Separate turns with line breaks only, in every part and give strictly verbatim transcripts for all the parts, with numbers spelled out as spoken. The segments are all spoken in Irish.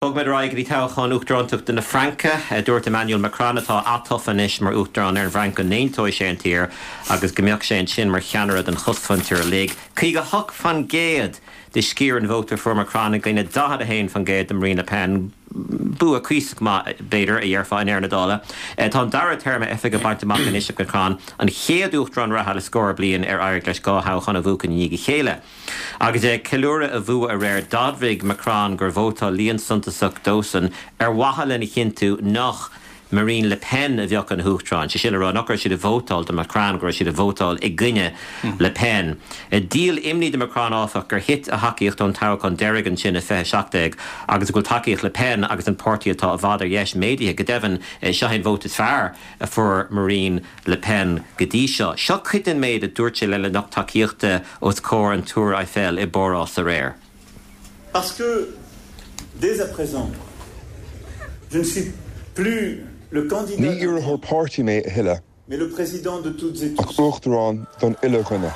Bogfaimid ar aghaidh go dtí toghchán uachtaránachta na Fraince. Dúirt Emmanuel Macron, atá atofa anois mar uachtarán ar an bhFrainc, go n-aontóidh sé an tír agus go mbeadh sé ansin mar cheannaire don chosmhuintir uilig. Caoga hocht faoin gcéad de sciar an vóta fuair Macron i gcoinne daichead a haon faoin gcéad do Marine Le Pen. Bua cuíosach maith, b'fhéidir, a dhéarfá i ndeireadh na dála. Tá an dara téarma oifige bainte amach anois ag Macron, an chéad uachtarán reatha le scór bliain ar éirigh leis dhá thoghchán a bhuachan i ndiaidh a chéile. Agus é ag ceiliúradh a bhua aréir, d'admhaigh Macron gur vótáil líon suntasach dósan ar mhaithe lena chinntiú nach Marine Le Pen a bheadh ina huachtarán. Sé sin le rá nach raibh siad ag vótáil do Macron, go raibh siad ag vótáil i gcoinne Le Pen. Díol imní do Macron, áfach, gur thit a thacaíocht ón toghchán deiridh ansin i fiche seacht déag agus go bhfuil tacaíocht Le Pen agus an páirtí atá i bhfad ar dheis méadaithe. Go deimhin, seo é an vóta is fearr a fuair Marine Le Pen go dtí seo. Seo cuid den méid a dúirt sé lena lucht tacaíochta os comhair an Túr Eiffel i bPáras aréir.
Parce que, dès à présent, je ne suis plus le candidat
Ní iarrthóir páirtí mé a thuilleadh,
mais le président de toutes et
ach
tous.
uachtarán don uile dhuine.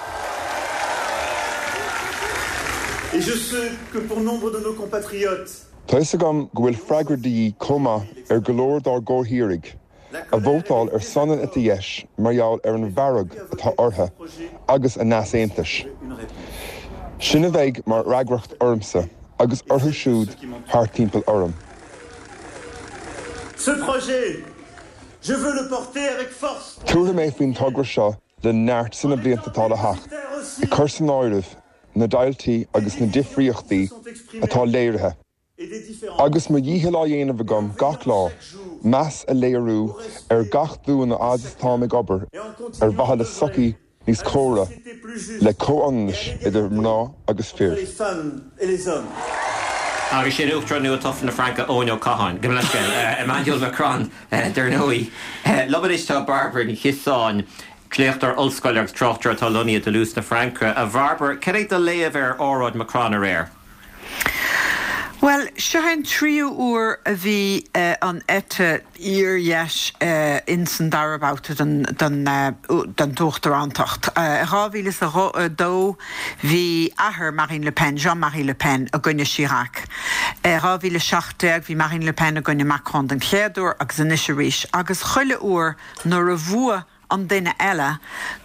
Et je sais que pour nombre de nos compatriotes,
Tá fhios agam go bhfuil freagra de dhíth chomh maith ar go leor dár gcomhthírigh a vótáil ar son an eite dheis mar gheall ar an bhfearg atá orthu agus a n-easaontais. Sin a bheidh mar fhreagracht ormsa agus orthu siúd thart timpeall orm.
Ce projet, je veux le porter avec force.
Tabharfaidh mé faoin togra seo le neart sna blianta atá le theacht, ag cur san áireamh na deighiltí agus na difríochtaí atá léirithe. Agus mo dhícheall á dhéanamh agam gach lá, meas a léiriú ar gach duine fhad is táim ag obair ar mhaithe le sochaí níos córa le comhionannas idir mná agus fir.
Agus sin uachtarán nua-tofa na Fraince, Eoin Ó Catháin. Gabh mo leithscéal, Emmanuel Macron, dar ndóigh. Liom anois tá Bairbre Ní Chiosáin, léachtóir ollscoile agus tráchtaire atá lonnaithe i Toulouse na Fraince. A Bhairbre, cad é do léamh ar óráid Macron aréir?
Well, seo an tríú huair a bhí an eite fhíordheis ins an dara babhta den den den uachtarántacht. Dhá mhíle is a dó bhí athair Marine Le Pen, Jean-Marie Le Pen, i gcoinne Chirac. Dhá mhíle seacht déag bhí Marine Le Pen i gcoinne Macron den chéad uair agus anois arís, agus chuile uair nuair a bhuaigh an duine eile,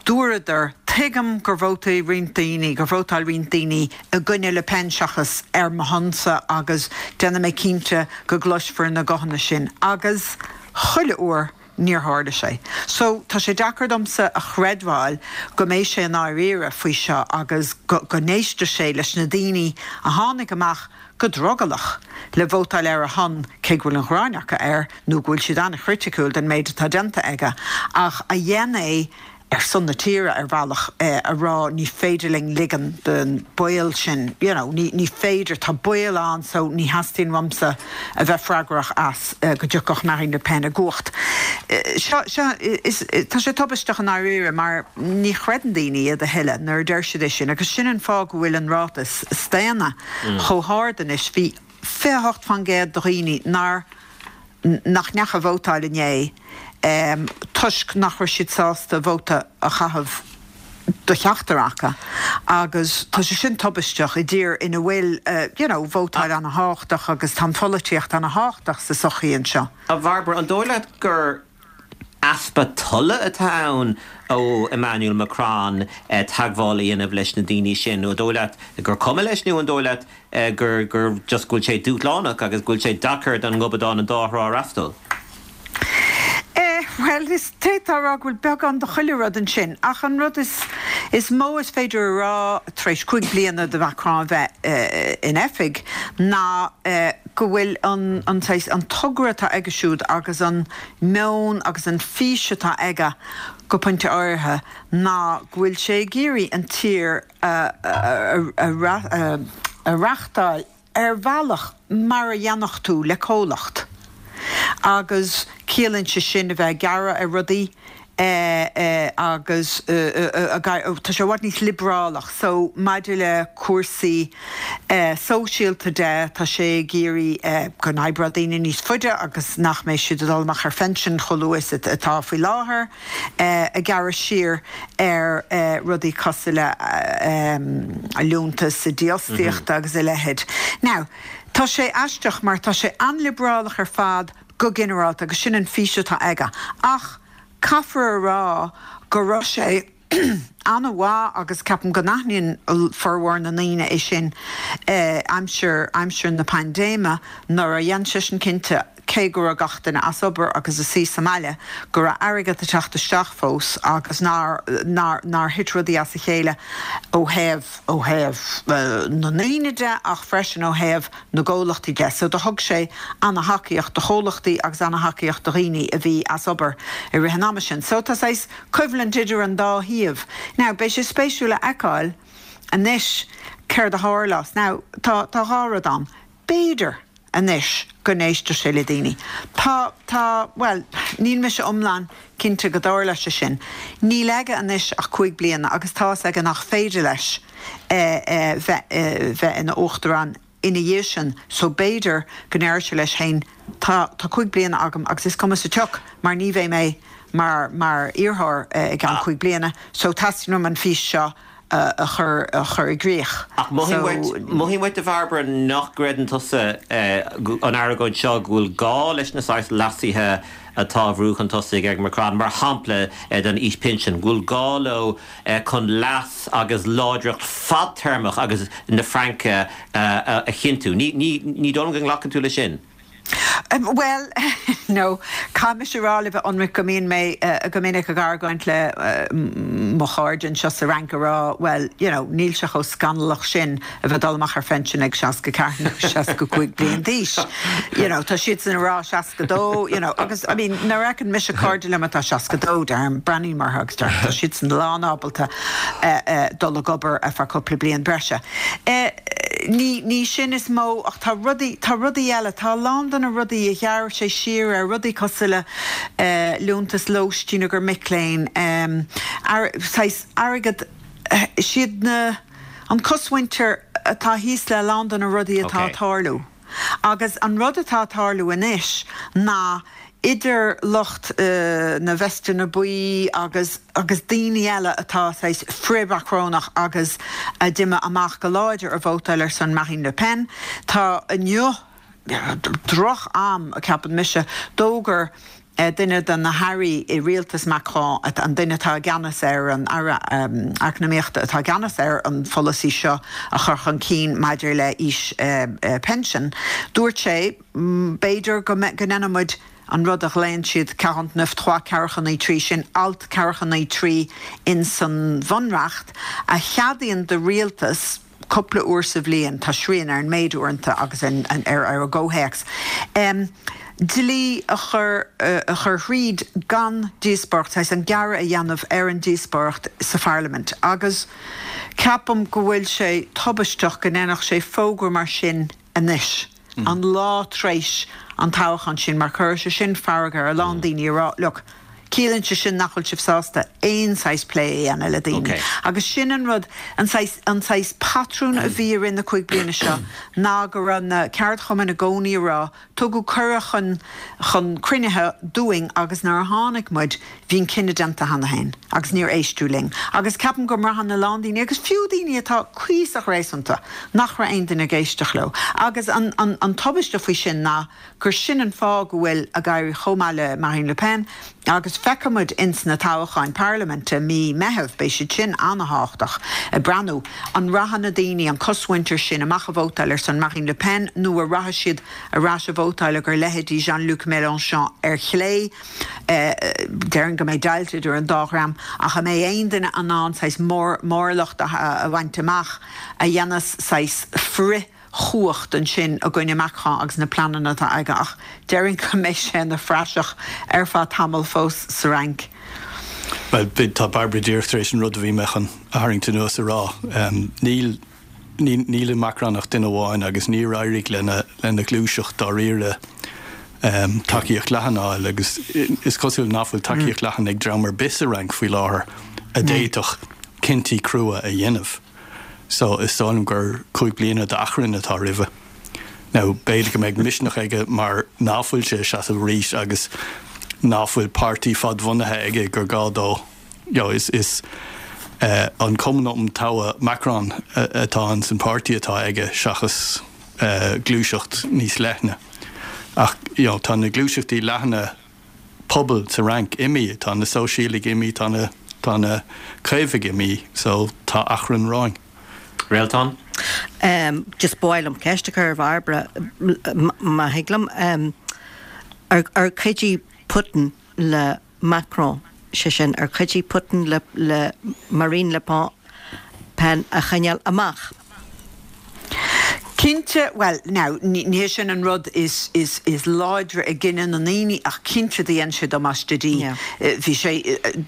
dúradar, tuigim gur vótáil roinnt daoine, gur vótáil roinnt daoine i gcoinne Le Pen seachas ar mo shonsa agus déanfaidh mé cinnte go gcloisfear na guthanna sin. Agus chuile uair níor tharla sé. So tá sé deacair domsa a chreidbheáil go mbeidh sé i ndáiríre faoi seo agus go go n-éistfidh sé leis na daoine a tháinig amach go drogallach le vótáil ar a shon, cé go bhfuil an ghráin acu air nó go bhfuil siad an-chriticiúil den méid atá déanta aige, ach a dhein é ar son na tíre ar bhealach, a rá ní féidir linn ligean don baol sin, you know, ní ní féidir, tá baol ann so ní theastaíonn uaimse a bheith freagrach as go dtiocfadh Marine Le Pen i gcumhacht. Seo, seo, is, tá sé tubaisteach i ndáiríre mar ní chreideann daoine iad a thuilleadh nuair a deir siad é sin agus sin an fáth go bhfuil an ráta staonta chomh hard anois. Bhí fiche a hocht faoin gcéad de dhaoine nár, nach ndeachaigh a vótáil inné toisc nach raibh siad sásta vóta a chaitheamh do cheachtar acu agus tá sé sin tubaisteach i dtír ina bhfuil you know vótáil ana-thábhachtach agus tá an pholaitíocht ana-thábhachtach sa sochaí anseo.
A Bhairbre, an dóigh leat gur easpa tola atá ann ó Emmanuel Macron teagmháil a dhéanamh leis na daoine sin, nó an dóigh leat gur cuma leis, nó an dóigh leat gur gur just go bhfuil sé dúshlánach agus go bhfuil sé deacair don ngobadán an dá thrá a fhreastal?
Eh, bhuel, is d'fhéadfá a rá go bhfuil beagán de chuile rud ansin, ach an rud is is mó is féidir a rá tar éis cúig bliana de Macron a bheith in oifig ná go bhfuil an an saghas, an togra atá aige siúd agus an meon agus an fís atá aige go pointe áirithe ná go bhfuil sé ag iarraidh an tír a a a reachtáil ar bhealach mar a dhéanfadh tú le comhlacht agus ciallaíonn sé sin a bheith ag gearradh ar rudaí agus tá sé i bhfad níos liobrálach so maidir le cúrsaí sóisialta de tá sé ag iarraidh go n-oibreodh daoine níos faide agus nach mbeidh siad ag dul amach ar phension chomh luath is atá faoi láthair, ag gearradh siar ar rudaí cosúil le liúntas dífhostaíochta agus a leithéid. Now, Tá sé aisteach mar tá sé an-liobrálach ar fad go ginearálta agus sin an fís atá aige. Ach caithfear a rá go raibh sé an-mhaith agus ceapaim go n-aithníonn formhór na ndaoine é sin eh, aimsir aimsir na paindéime nuair a dhein seisean cinnte cé go raibh gach duine as obair agus ina suí sa mbaile go raibh airgead ag teacht isteach fós agus nár nár nár thit rudaí as a chéile ó thaobh ó thaobh uh, na ndaoine de ach freisin ó thaobh na gcomhlachtaí de, so do thug sé an-thacaíocht do chomhlachtaí agus an-thacaíocht do dhaoine a bhí as obair i rith an ama sin. So tá saghas coimhlint idir an dá thaobh. Now beidh sé spéisiúil a fheiceáil anois céard a tharlós. Now tá tá dhá rud ann. B'fhéidir anois go n-éistfidh sé le daoine. Tá tá well níl mise iomlán cinnte go dtarlóidh sé sin. Níl aige anois ach cúig bliana agus tá aige nach féidir leis eh, eh, bheith eh, bheith ina uachtarán ina dhiaidh sin, so b'fhéidir go ndéarfaidh sé leis féin tá tá cúig bliana agam agus is cuma sa tsioc mar ní bheidh mé mar mar iarrthóir eh, i gceann cúig bliana, so teastaíonn an fís seo uh, a chur a chur i gcrích.
Ach mothaím uait a Bhairbre nach gcreideann tusa an argóint seo go bhfuil gá leis na saghas leasuithe atá á mbrú chun tosaigh ag Macron mar shampla den aois pinsin, go bhfuil gá leo chun leas agus láidreacht fadtéarmach agus na Fraince a chinntiú. Ní dóigh go nglacann tú le sin.
Um, well no caithfidh mé rá le ionraic go mbíonn mé uh, go minic ag argóint le uh, mo chairde anseo sa Fhrainc rá well you know níl sé chomh scannalach sin a bheith dul amach ar phinsean ag seasca ceathair seasca cúig bliain d'aois. You know, tá siad sin rá seasca dó you know, agus I mean na rean mis cairde le tá seasca dó dar breathnaím mar agus tá siad san lánábalta uh, uh, dul ag obair ar feadh cúpla bliain breise. Uh, ní ní sin is mó ach tá rudaí tá rudaí eile tá lán de na rudaí a ghearr sé siar ar rudaí cosúil le uh, liúntas lóistín do mhic léinn um, airgead uh, siad na an cosmhuintir atá thíos le lán de na rudaí atá okay. tarlú. Agus an rud atá tarlú anois ná idir lucht uh, na veisteanna buí agus agus daoine eile atá saghas frith-Mhacronach agus a d'imigh amach go láidir a vótáil ar son Marine Le Pen tá inniu droch am a ceapann mise d'fhógair eh, duine de na hairí i rialtas Macron an duine atá i gceannas ar an aire um, eacnamaíochta atá i gceannas ar an pholasaí seo a chur chun cinn maidir le haois uh, uh, pension. Dúirt sé mm, b'fhéidir go go ndéanfaimid an rud a ghlaonn siad quarante-neuf trois ceathracha naoi trí sin alt ceathracha naoi trí in san bhunreacht a cheadaíonn do rialtas cúpla uair sa bhliain tá srian ar an méid uaireanta agus an, an, ar ar a gcomhthéacs. Um, Dlí a chur uh, a chur thríd gan díospóireacht an gearradh a dhéanamh ar an díospóireacht sa pharlaimint. agus ceapaim go bhfuil sé tubaisteach go ndéanfadh sé fógra mar sin anois. Mm. An lá tar éis an toghchán sin mar chuir sé sin fearg ar a lán mm. daoine rá look. Ciallaíonn sé sin nach bhfuil sibh sásta aon saghas plé a le daoine.
Okay.
Agus sin an rud an saghas patrún a bhí in na cúig bliana seo ná go raibh na ceardchumainn i gcónaí rá tugadh cuireadh chun chun cruinnithe dúinn agus nuair a tháinig muid bhí an cinneadh déanta cheana féin agus níor éisteadh linn. Agus ceapaim go mbraitheann a lán daoine agus fiú daoine atá cuíosach réasúnta nach raibh aon duine ag éisteacht leo. Agus an, an, an tubaiste faoi sin ná gur sin an fáth go bhfuil ag éirí chomh maith le Marine Le Pen agus feicfimid ins na toghcháin parlaiminte mí Mheithimh beidh siad sin an-tábhachtach ag breathnú an rachaidh na daoine an cosmhuintir sin amach a vótáil ar son Marine Le Pen nó a rachaidh siad ar ais a vótáil gur leithéidí Jean-Luc Mélenchon ar chlé eh, déarfainn go mbeidh deighilt idir an dá dhream ach an mbeidh aon duine in ann saghas mór mórlacht a, a bhaint amach a dhéanfas saghas frith chumhacht ansin i gcoinne Macron agus na pleananna atá aige ach déarfainn go mbeidh sé ina phraiseach ar feadh tamall fós sa Fhrainc.
Well tá Bairbre díreach tar éis an rud a bhí mé chun a tharraingt anuas a rá. Um, níl níl Macron ach duine amháin agus níor éirigh lena lena ghluaiseacht dáiríre um, tacaíocht leathan a fháil agus is cosúil nach bhfuil tacaíocht mm. leathan ag dream ar bith sa Fhrainc faoi láthair a d'fhéadfadh cinntí crua a dhéanamh. So is dóigh liom gur cúig bliana d'achrann atá roimhe. Now b'fhéidir go mbeidh misneach aige mar nach bhfuil sé seasamh arís agus nach bhfuil páirtí fadbhunaithe aige gur gá dó you is is uh, an Cumann um Togha Macron uh, atá an san páirtí atá aige seachas gluaiseacht níos leithne. Ach you know, tá na gluaiseachtaí leathana pobail sa Fhrainc imithe, tá na sóisialaigh imithe, tá na tá na caomhaigh imithe, so tá achrann romhainn.
Réaltán?
Um, just ba mhaith liom ceist a chur ar Bhairbre má thig liom um, ar, ar chuidigh Putin le Macron sé sin ar chuidigh Putin le, le Marine Le Pen Pen a choinneáil amach.
Cinnte well now ní sin an rud is is is láidre i gcoinne na ndaoine ach cinnte dhein sé damáiste di. Bhí sé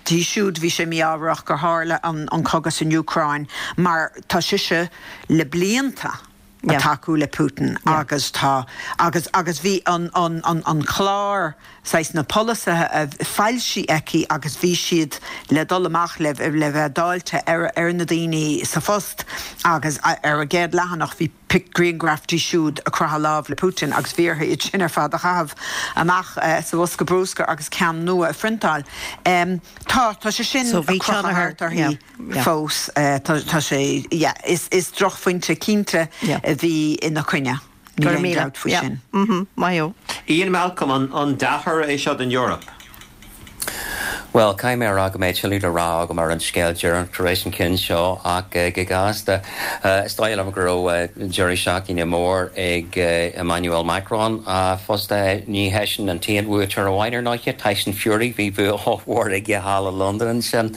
di siúd bhí sé mífhabhrach gur tharla an, an cogadh san Úcráin mar tá sise le blianta ag tacú le Putin agus tá agus agus bhí an an an an clár saghas na polasaithe a foilsithe aici agus bhí siad le dul amach le le bheith dáilte ar ar na daoine sa phost agus ar a gcéad leathanach bhí grianghraf di siúd ag croitheadh lámh le Putin agus bhí uirthi sin ar fad a chaitheamh amach uh, sa bhosca bruscair agus ceann nua a phriontáil. Um, tá tá sé sin
so bhí
thart fós uh, tá sé yeah, is, is drochphointe cinnte a bhí ina coinne.
Ní
faoi sin.
Maith
Ian Malcolm an, an dea-thoradh é seo don Eoraip.
Well caithfidh mé rá go mbeidh tuilleadh le rá agam ar an scéal deireanach tar éis an cinn seo ach uh, go gasta uh, is dóigh liom go raibh uh, deireadh seachtaine mór ag uh, Emmanuel Macron uh, fosta ní heisean an t-aon bhuaiteoir amháin ar ndóigh Tyson Fury bhí bua mór aige thall i London sin.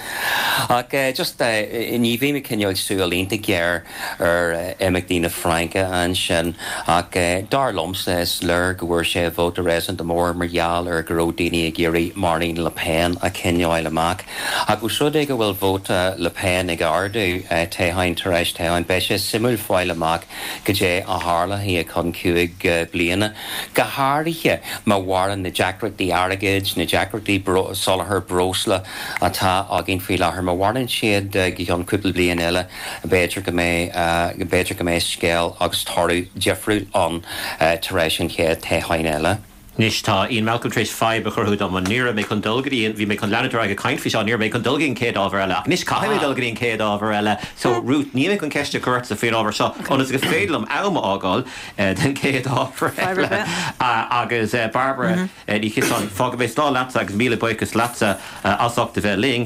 Ach uh, just uh, ní bhí mé cineál súil iontach géar ar uh, imeachtaí na Fraince ansin ach uh, dar liomsa is léir go bhfuair sé vóta réasúnta mór mar gheall ar go raibh daoine ag iarraidh Marine Le Pen a choinneáil amach. Agus rud é go bhfuil vóta Le Pen ag ardú uh, toghchán tar éis toghcháin beidh sé suimiúil fáil amach goidé a tharlóidh chun cúig uh, bliana. Go háirithe má mhaireann na deacrachtaí airgid, na deacrachtaí soláthar breosla atá againn faoi láthair má mhaireann siad uh, go ceann cúpla bliain eile b'fhéidir go mbeidh uh, b'fhéidir go mbeidh scéal agus toradh difriúil ann uh, tar éis an chéad toghcháin eile.
Anois tá Ian Malcolm tar éis fadhb a chruthú dom an ní mé chun dul go dtí bhí mé chun leanúint ag caint faoi seo ní mé chun dul go dtí an chéad ábhar eile. Anois caithfidh mé dul go dtí an chéad ábhar eile, so Ruth ní mé chun ceist a chur ort faoin ábhar seo ionas go féidir liom am a fhágáil den chéad ábhar eile agus Barbara Ní Chiosáin fágfaidh mé slán leatsa agus míle buíochas leatsa as ucht a bheith linn.